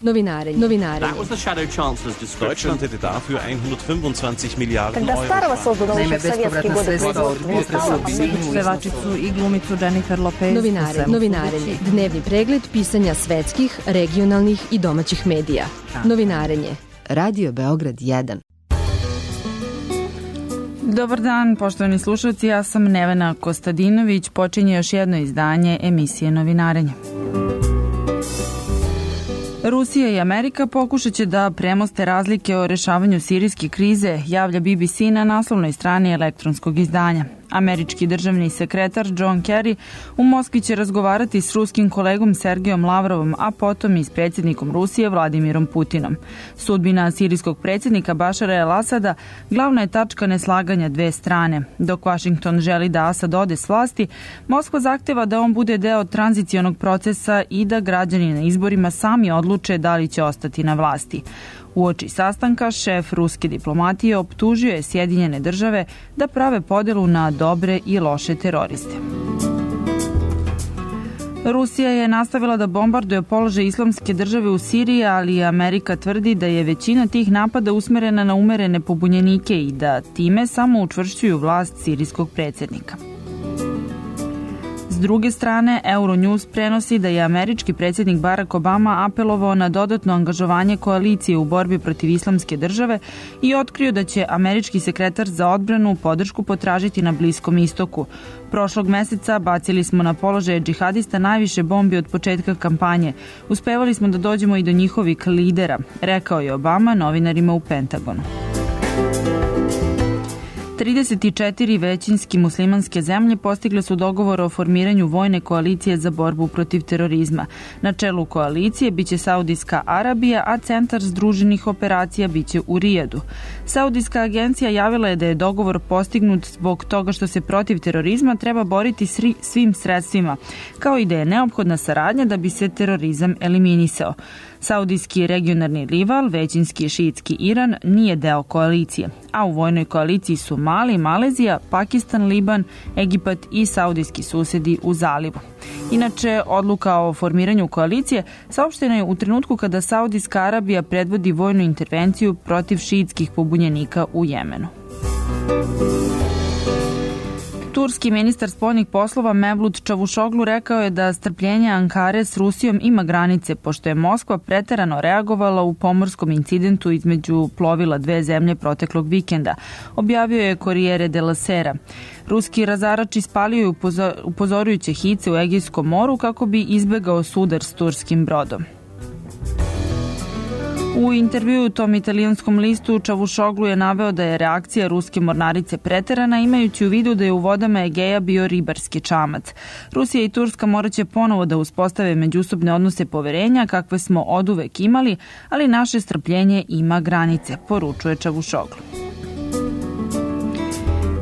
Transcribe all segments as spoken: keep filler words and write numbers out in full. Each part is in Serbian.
Novinarenje. Novinarenje. That was the Shadow Chancellor's description. Deutschland hätte dafür hundertfünfundzwanzig Miliarden Когда старого Euro. создано еще в советские годы. Pevačicu i glumicu Jennifer Lopez. Novinarenje. Novinarenje. Dnevni pregled pisanja svetskih, regionalnih i domaćih medija. Novinarenje. Radio Beograd jedan. Dobar dan, poštovani slušalci, ja sam Nevena Kostadinović, počinje još jedno izdanje emisije Novinarenje. Rusija i Amerika pokušat će da premoste razlike o rešavanju sirijske krize, javlja B B C na naslovnoj strani elektronskog izdanja. Američki državni sekretar John Kerry u Moskvi će razgovarati s ruskim kolegom Sergejom Lavrovom, a potom i s predsjednikom Rusije Vladimirom Putinom. Sudbina sirijskog predsjednika Bašara el-Asada glavna je tačka neslaganja dve strane. Dok Washington želi da Asad ode s vlasti, Moskva zahteva da on bude deo tranzicionog procesa i da građani na izborima sami odluče da li će ostati na vlasti. Uoči sastanka, šef ruske diplomatije optužio je Sjedinjene države da prave podelu na dobre i loše teroriste. Rusija je nastavila da bombarduje položaj Islamske države u Siriji, ali Amerika tvrdi da je većina tih napada usmerena na umerene pobunjenike i da time samo učvršćuju vlast sirijskog predsjednika. S druge strane, Euronews prenosi da je američki predsjednik Barack Obama apelovao na dodatno angažovanje koalicije u borbi protiv Islamske države i otkrio da će američki sekretar za odbranu podršku potražiti na Bliskom istoku. Prošlog meseca bacili smo na položaje džihadista najviše bombi od početka kampanje. Uspevali smo da dođemo i do njihovih lidera, rekao je Obama novinarima u Pentagonu. trideset četiri većinski muslimanske zemlje postigle su dogovor o formiranju vojne koalicije za borbu protiv terorizma. Na čelu koalicije biće Saudijska Arabija, a centar združenih operacija biće u Rijadu. Saudijska agencija javila je da je dogovor postignut zbog toga što se protiv terorizma treba boriti svim sredstvima, kao i da je neophodna saradnja da bi se terorizam eliminisao. Saudijski regionalni rival, većinski šiitski Iran, nije deo koalicije, a u vojnoj koaliciji su Mali, Malezija, Pakistan, Liban, Egipat i saudijski susedi u zalivu. Inače, odluka o formiranju koalicije saopštena je u trenutku kada Saudijska Arabija predvodi vojnu intervenciju protiv šiitskih pobunjenika u Jemenu. Turski ministar spoljnih poslova Mevlut Čavuşoglu rekao je da strpljenje Ankare s Rusijom ima granice, pošto je Moskva preterano reagovala u pomorskom incidentu između plovila dve zemlje proteklog vikenda, objavio je Corriere della Sera. Ruski razarač ispalio je upozorujuće hice u Egejskom moru kako bi izbegao sudar s turskim brodom. U intervjuu tom italijanskom listu Čavuşoglu je naveo da je reakcija ruske mornarice preterana, imajući u vidu da je u vodama Egeja bio ribarski čamac. Rusija i Turska morat će ponovo da uspostave međusobne odnose poverenja kakve smo oduvek imali, ali naše strpljenje ima granice, poručuje Čavuşoglu.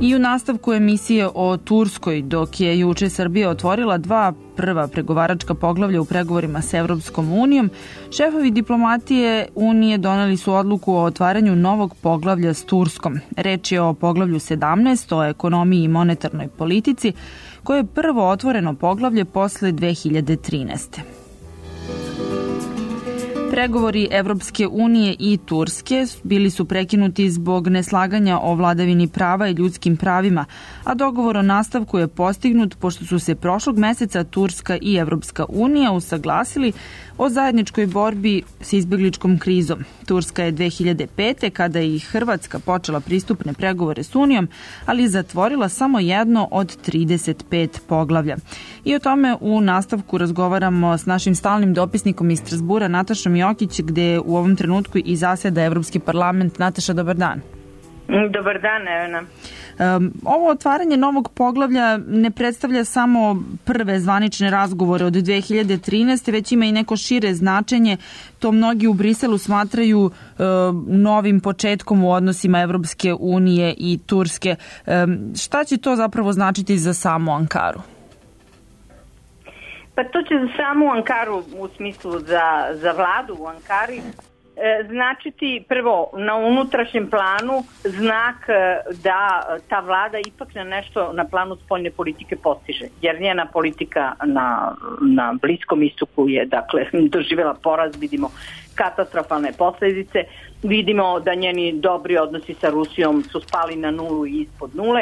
I u nastavku emisije o Turskoj, dok je juče Srbija otvorila dva prva pregovaračka poglavlja u pregovorima s Evropskom unijom, šefovi diplomatije Unije doneli su odluku o otvaranju novog poglavlja s Turskom. Reč je o poglavlju sedamnaest o ekonomiji i monetarnoj politici, koje je prvo otvoreno poglavlje posle dve hiljade trinaeste. Pregovori Evropske unije i Turske bili su prekinuti zbog neslaganja o vladavini prava i ljudskim pravima, a dogovor o nastavku je postignut pošto su se prošlog meseca Turska i Evropska unija usaglasili o zajedničkoj borbi s izbegličkom krizom. Turska je dve hiljade pete. kada je i Hrvatska počela pristupne pregovore s Unijom, ali zatvorila samo jedno od trideset pet poglavlja. I o tome u nastavku razgovaramo s našim stalnim dopisnikom iz Strazbura, Natašom Jokić, gde u ovom trenutku i zaseda Evropski parlament. Nataša, dobar dan. Dobar dan, Nevena. Um, ovo otvaranje novog poglavlja ne predstavlja samo prve zvanične razgovore od dve hiljade trinaeste. već ima i neko šire značenje. To mnogi u Briselu smatraju uh, novim početkom u odnosima Evropske unije i Turske. Um, šta će to zapravo značiti za samu Ankaru? Pa to će za samu Ankaru, u smislu za, za vladu u Ankari, značiti prvo na unutrašnjem planu znak da ta vlada ipak na nešto na planu spoljne politike postiže. Jer njena politika na, na Bliskom istoku je dakle doživjela poraz, vidimo katastrofalne posljedice, vidimo da njeni dobri odnosi sa Rusijom su spali na nulu i ispod nule,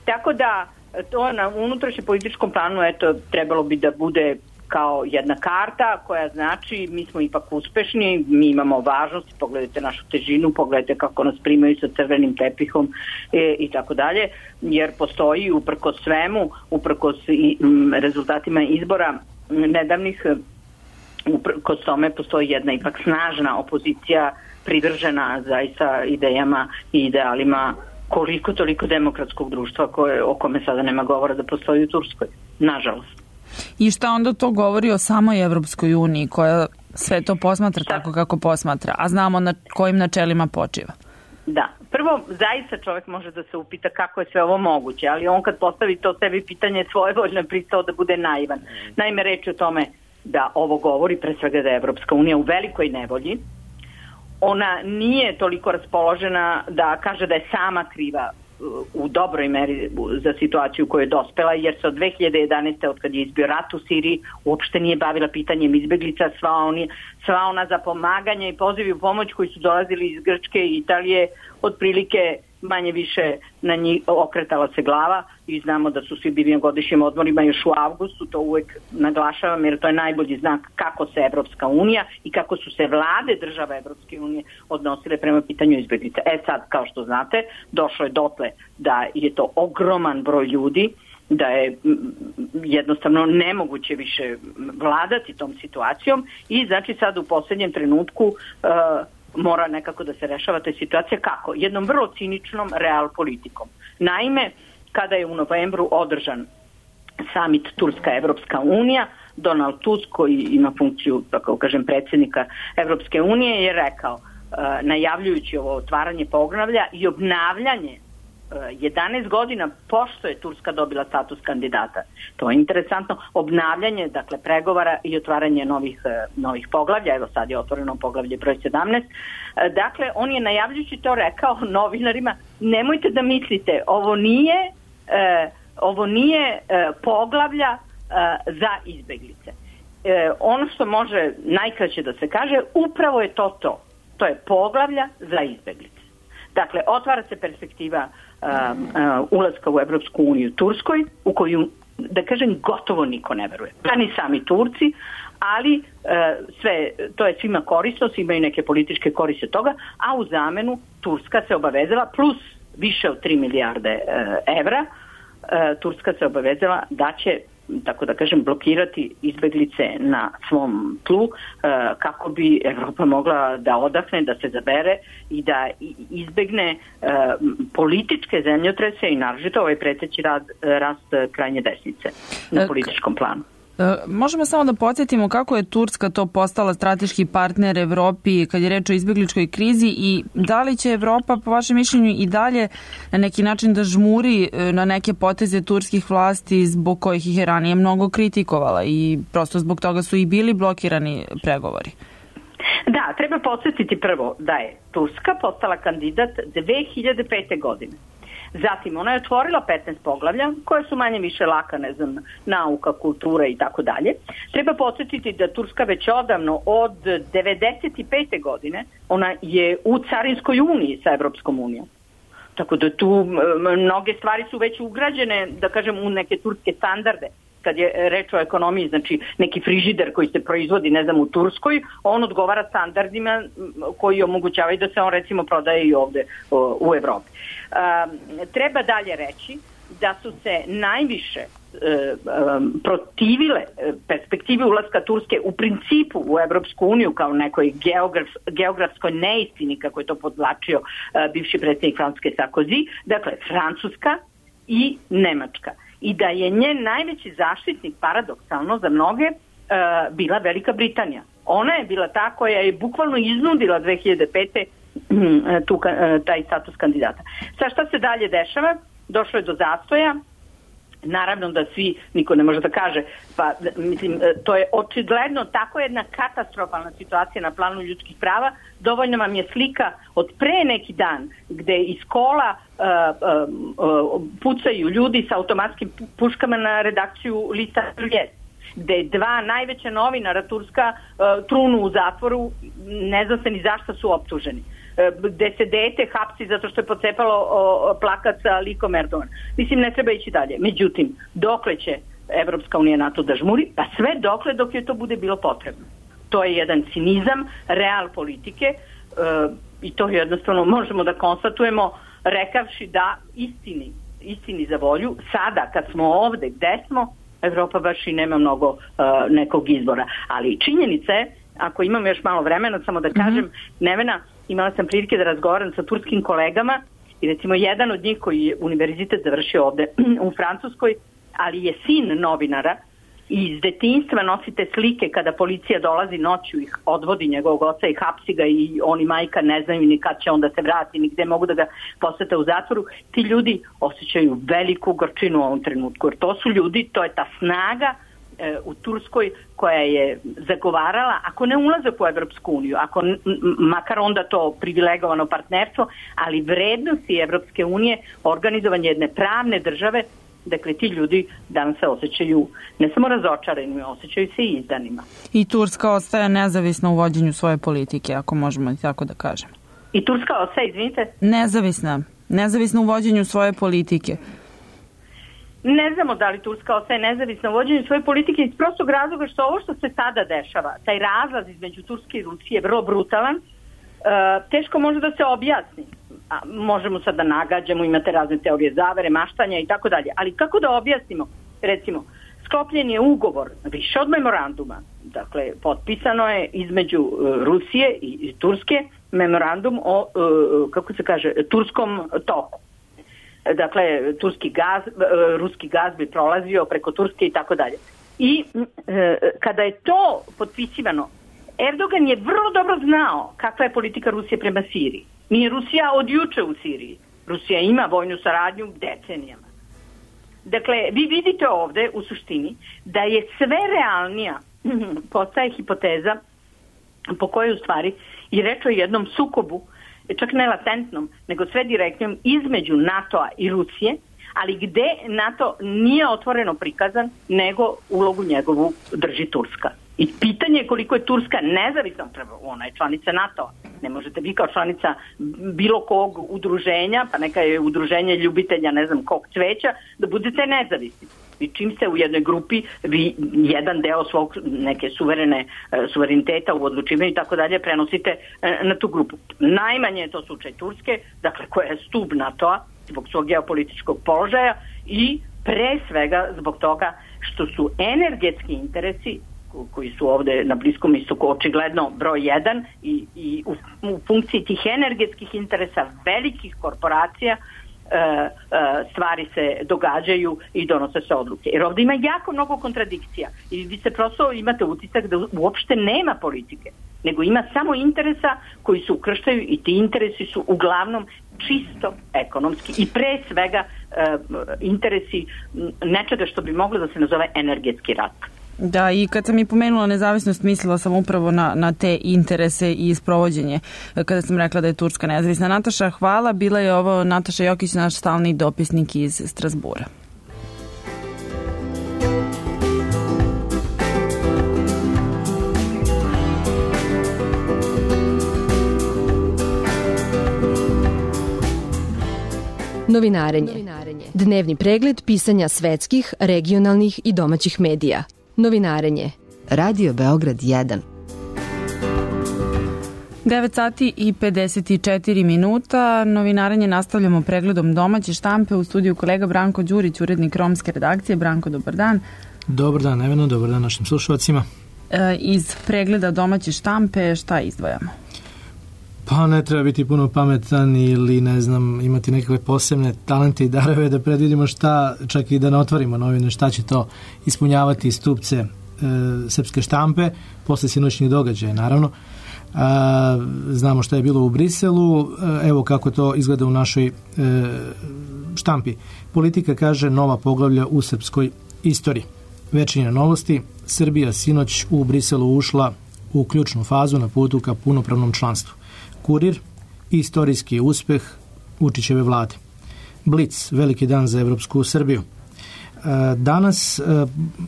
tako da to na unutrašnjem političkom planu eto, trebalo bi da bude kao jedna karta koja znači mi smo ipak uspešni, mi imamo važnost, pogledajte našu težinu, pogledajte kako nas primaju sa crvenim tepihom e, i tako dalje, jer postoji uprkos svemu, uprkos i, m, rezultatima izbora nedavnih, uprkos tome postoji jedna ipak snažna opozicija privržena zaista idejama i idealima koliko toliko demokratskog društva koje, o kome sada nema govora da postoji u Turskoj, nažalost. I šta onda to govori o samoj Evropskoj uniji koja sve to posmatra šta? Tako kako posmatra, a znamo na kojim načelima počiva? Da, prvo zaista čovjek može da se upita kako je sve ovo moguće, ali on kad postavi to sebi pitanje svojevoljno je pristao da bude naivan. Naime, reč je o tome da ovo govori pre svega da je Evropska unija u velikoj nevolji. Ona nije toliko raspoložena da kaže da je sama kriva u dobroj meri za situaciju koju je dospela, jer se od dve hiljade jedanaeste. od kad je izbio rat u Siriji uopšte nije bavila pitanjem izbeglica, sva, oni, sva ona za pomaganje i pozivi u pomoć koji su dolazili iz Grčke i Italije otprilike manje više na njih okretala se glava i znamo da su svi bili na godišnjim odmorima još u avgustu, to uvek naglašavam jer to je najbolji znak kako se Evropska unija i kako su se vlade država Evropske unije odnosile prema pitanju izbeglica. E sad, kao što znate, došlo je dotle da je to ogroman broj ljudi, da je jednostavno nemoguće više vladati tom situacijom i znači sad u posljednjem trenutku uh, mora nekako da se rešava ta situacija. Kako? Jednom vrlo ciničnom real politikom. Naime, kada je u novembru održan summit Turska-Evropska unija, Donald Tusk, koji ima funkciju, tako kažem, predsjednika Evropske unije, je rekao, najavljujući ovo otvaranje poglavlja i obnavljanje jedanaest godina pošto je Turska dobila status kandidata. To je interesantno. Obnavljanje, dakle, pregovara i otvaranje novih, novih poglavlja. Evo sad je otvoreno poglavlje broj sedamnaest. Dakle, on je najavljujući to rekao novinarima, nemojte da mislite, ovo nije, eh, ovo nije eh, poglavlja eh, za izbeglice. Eh, ono što može najkraće da se kaže, upravo je to to. To je poglavlja za izbeglice. Dakle, otvara se perspektiva uh, uh, ulaska u Evropsku uniju Turskoj, u koju, da kažem, gotovo niko ne veruje. Pa ni sami Turci, ali uh, sve, to je svima korisno, svi imaju neke političke koriste toga, a u zamenu Turska se obavezala, plus više od tri milijarde uh, evra, uh, Turska se obavezala da će, tako da kažem, blokirati izbeglice na svom tlu uh, kako bi Evropa mogla da odahne, da se zabere i da izbegne uh, političke zemljotrese i naročito ovaj preteći rad, rast krajnje desnice na političkom planu. Možemo samo da podsjetimo kako je Turska to postala strateški partner Evropi kad je reč o izbegličkoj krizi i da li će Evropa po vašem mišljenju i dalje na neki način da žmuri na neke poteze turskih vlasti zbog kojih ih je ranije mnogo kritikovala i prosto zbog toga su i bili blokirani pregovori? Da, treba podsjetiti prvo da je Turska postala kandidat dve hiljade pete. godine. Zatim, ona je otvorila petnaest poglavlja, koje su manje više laka, ne znam, nauka, kultura i tako dalje. Treba podsjetiti da Turska već odavno od devedeset pete. godine, ona je u carinskoj uniji sa Evropskom unijom. Tako da tu mnoge stvari su već ugrađene, da kažem, u neke turske standarde. Kad je reč o ekonomiji, znači neki frižider koji se proizvodi, ne znam, u Turskoj, on odgovara standardima koji omogućavaju da se on recimo prodaje i ovde u Evropi. Treba dalje reći da su se najviše protivile perspektivi ulaska Turske u principu u Evropsku uniju kao nekoj geograf, geografskoj neistini, kako je to podvlačio bivši predsjednik Francuske Sarkozy, dakle Francuska i Nemačka. I da je njen najveći zaštitnik, paradoksalno za mnoge, bila Velika Britanija. Ona je bila ta koja je bukvalno iznudila dve hiljade pete. Tu, taj status kandidata. Sa šta se dalje dešava? Došlo je do zastoja Naravno da svi, niko ne može da kaže, pa mislim, to je očigledno tako jedna katastrofalna situacija na planu ljudskih prava. Dovoljno vam je slika od pre neki dan gde iz kola uh, uh, uh, pucaju ljudi sa automatskim puškama na redakciju lista Vijest, gde dva najveća novinara turska uh, trunu u zatvoru, ne zna se ni zašto su optuženi, gde se dete hapsi zato što je pocepalo o, plakat sa likom Erdogana. Mislim, ne treba ići dalje. Međutim, dokle će Evropska unija NATO da žmuri? Pa sve dokle dok je to bude bilo potrebno. To je jedan cinizam, real politike e, i to jednostavno možemo da konstatujemo rekavši da istini, istini za volju, sada kad smo ovde gde smo, Evropa baš i nema mnogo e, nekog izbora. Ali činjenica je, ako imam još malo vremena, samo da kažem, mm-hmm. Nevena, imala sam prilike da razgovaram sa turskim kolegama i recimo jedan od njih koji je univerzitet završio ovde u Francuskoj, ali je sin novinara i iz detinjstva nosite slike kada policija dolazi noću, ih odvodi njegovog oca i hapsi ga i on i majka ne znaju ni kad će on da se vrati, ni gde mogu da ga posete u zatvoru. Ti ljudi osjećaju veliku gorčinu u ovom trenutku, jer to su ljudi, to je ta snaga u Turskoj koja je zagovarala, ako ne ulazak u Evropsku uniju, ako n- makar onda to privilegovano partnerstvo, ali vrednosti Evropske unije, organizovanje jedne pravne države, dakle ti ljudi danas se osjećaju ne samo razočarani, osjećaju se i izdanima. I Turska ostaje nezavisna u vođenju svoje politike, ako možemo tako da kažemo. I Turska ostaje, izvinite? Nezavisna. Nezavisna u vođenju svoje politike. Ne znamo da li Turska ostaje nezavisna u vođenju svoje politike iz prostog razloga što ovo što se sada dešava, taj razlaz između Turske i Rusije je vrlo brutalan, e, teško može da se objasni. A, možemo sad da nagađamo, imate razne teorije zavere, maštanja i tako dalje, ali kako da objasnimo? Recimo, sklopljen je ugovor više od memoranduma, dakle, potpisano je između e, Rusije i, i Turske memorandum o, e, kako se kaže, turskom toku. Dakle, turski gaz, ruski gaz bi prolazio preko Turske i tako dalje. I e, kada je to potpisivano, Erdogan je vrlo dobro znao kakva je politika Rusije prema Siriji. Nije Rusija od juče u Siriji. Rusija ima vojnu saradnju decenijama. Dakle, vi vidite ovde u suštini da je sve realnija postaje hipoteza po kojoj u stvari i reč o jednom sukobu, čak ne latentnom, nego sve direktnom između NATO-a i Rusije, ali gde NATO nije otvoreno prikazan, nego ulogu njegovu drži Turska. I pitanje je koliko je Turska nezavisna, ona je članica NATO-a. Ne možete vi kao članica bilo kog udruženja, pa neka je udruženje ljubitelja ne znam kog cveća, da budete nezavisni. I čim ste u jednoj grupi, vi jedan deo svog neke suverene suvereniteta u odlučivanju i tako dalje prenosite na tu grupu. Najmanje je to slučaj Turske, dakle koja je stub NATO-a zbog svog geopolitičkog položaja i pre svega zbog toga što su energetski interesi koji su ovde na Bliskom istoku očigledno broj jedan i, i u, u funkciji tih energetskih interesa velikih korporacija stvari se događaju i donose se odluke. Jer ovdje ima jako mnogo kontradikcija i vi se prosto imate utisak da uopšte nema politike, nego ima samo interesa koji se ukrštaju i ti interesi su uglavnom čisto ekonomski i pre svega interesi nečega što bi moglo da se nazove energetski rat. Da, i kad sam i pomenula nezavisnost, mislila sam upravo na, na te interese i sprovođenje, kada sam rekla da je Turska nezavisna. Nataša, hvala. Bila je ovo Nataša Jokić, naš stalni dopisnik iz Strazbura. Novinarenje. Dnevni pregled pisanja svetskih, regionalnih i domaćih medija. Novinarenje. Radio Beograd jedan. devet sati i pedeset četiri minuta. Novinarenje nastavljamo pregledom domaće štampe. U studiju kolega Branko Đurić, urednik romske redakcije. Branko, dobar dan. Dobar dan, Neveno, dobar dan našim slušalcima. E, iz pregleda domaće štampe šta izdvajamo? Pa ne treba biti puno pametan ili ne znam, imati nekakve posebne talente i darove da predvidimo šta, čak i da ne otvorimo novine, šta će to ispunjavati stupce e, srpske štampe posle sinoćnih događaja, naravno. E, znamo šta je bilo u Briselu, e, evo kako to izgleda u našoj e, štampi. Politika kaže nova poglavlja u srpskoj istoriji. Večernje novosti, Srbija sinoć u Briselu ušla u ključnu fazu na putu ka punopravnom članstvu. Kurir, istorijski uspeh Vučićeve vlade. Blic, veliki dan za evropsku Srbiju. Danas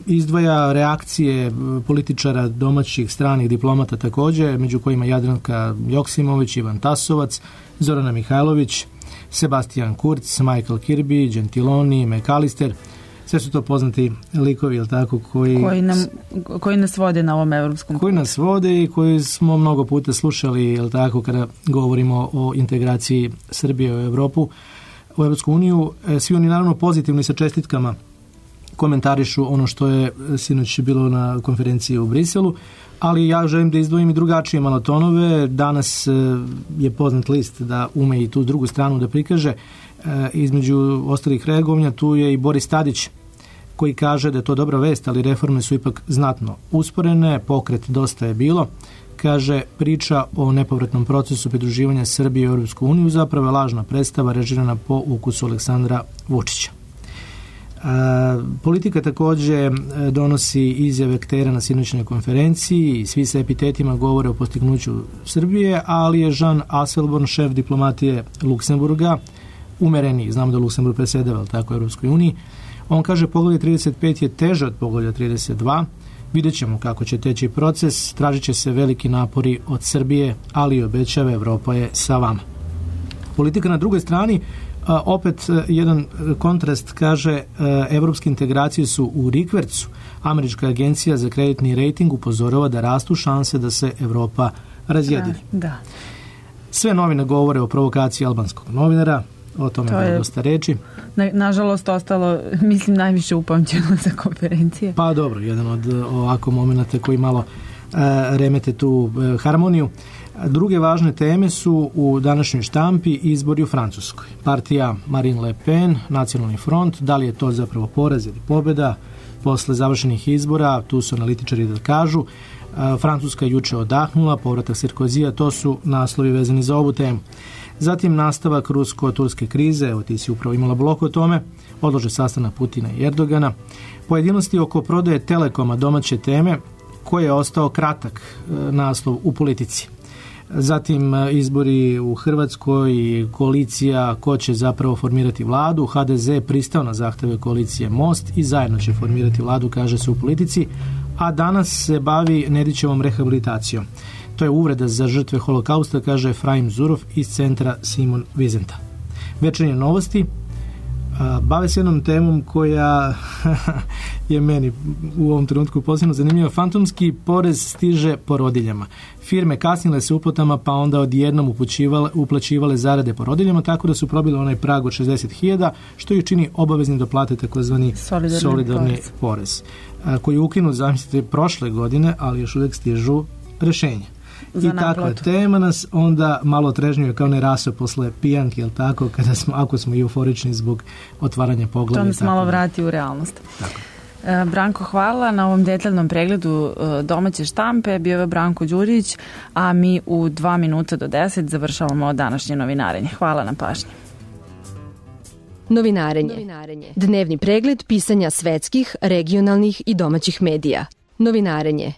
izdvaja reakcije političara domaćih, stranih diplomata također, među kojima Jadranka Joksimović, Ivan Tasovac, Zorana Mihajlović, Sebastian Kurz, Michael Kirby, Gentiloni, McAllister. Sve su to poznati likovi, jel tako, koji, koji, nam, koji nas vode na ovom evropskom koji nas vode i koji smo mnogo puta slušali, jel tako, kada govorimo o integraciji Srbije u Evropu, u Evropsku uniju. Svi oni naravno pozitivni sa čestitkama komentarišu ono što je sinoć bilo na konferenciji u Briselu, ali ja želim da izdvojim i drugačije malo tonove. Danas je poznat list da ume i tu drugu stranu da prikaže. Između ostalih reagovanja tu je i Boris Tadić, koji kaže da je to dobra vest, ali reforme su ipak znatno usporene, pokret dosta je bilo. Kaže, priča o nepovratnom procesu pridruživanja Srbije u Europsku uniju zapravo je lažna predstava režirana po ukusu Aleksandra Vučića. A, politika također donosi izjave aktera na sinoćnoj konferenciji i svi sa epitetima govore o postignuću Srbije, ali je Jean Asselborn, šef diplomatije Luksemburga, umereniji, znamo da Luksemburg presedava tako u Europskoj uniji. On kaže poglavlje trideset pet je teže od poglavlja trideset dva. Vidjet ćemo kako će teći proces, tražit će se veliki napori od Srbije, ali obećava Evropa je sa vama. Politika na drugoj strani, a, opet jedan kontrast, kaže evropske integracije su u rikvercu. Američka agencija za kreditni rejting upozorava da rastu šanse da se Evropa razjedini. Da. Sve novine govore o provokaciji albanskog novinara, o tome to je dosta reči. Na, nažalost, ostalo, mislim, najviše upamćeno za konferencije. Pa dobro, jedan od ovako momenata koji malo uh, remete tu uh, harmoniju. Druge važne teme su u današnjoj štampi izbori u Francuskoj. Partija Marine Le Pen, Nacionalni front, da li je to zapravo poraz ili pobjeda posle završenih izbora, tu su analitičari da kažu. Uh, Francuska juče odahnula, povratak Sarkozija, to su naslovi vezani za ovu temu. Zatim nastavak rusko-turske krize, evo ti si upravo imala blok o tome, odlože sastanak Putina i Erdogana, pojedinosti oko prodaje Telekoma, domaće teme, koji je ostao kratak e, naslov u politici. Zatim e, izbori u Hrvatskoj i koalicija ko će zapravo formirati vladu. H D Z pristao na zahteve koalicije Most i zajedno će formirati vladu, kaže se u politici, a danas se bavi Nedićevom rehabilitacijom. To je uvreda za žrtve holokausta, kaže Efraim Zurov iz centra Simon Vizenta. Večernje novosti a, bave se jednom temom koja je meni u ovom trenutku posebno zanimljiva. Fantomski porez stiže porodiljama. Firme kasnile se uplatama, pa onda odjednom uplaćivale zarade porodiljama, tako da su probile onaj prag od šezdeset hiljada, što ju čini obaveznim da plate takozvani solidarni, solidarni porez, porez a, koji je ukinut, zamislite, prošle godine, ali još uvijek stižu rešenja. I takva tema nas onda malo trežnjuje kao ne raso posle pijanke, jel tako, kada smo, ako smo euforični zbog otvaranja poglavlja. To nas malo vrati u realnost. Tako. E, Branko, hvala na ovom detaljnom pregledu e, domaće štampe. Bio je Branko Đurić, a mi u dva minuta do deset završavamo današnje novinarenje. Hvala na pažnji. Novinarenje. Dnevni pregled pisanja svetskih, regionalnih i domaćih medija. Novinarenje.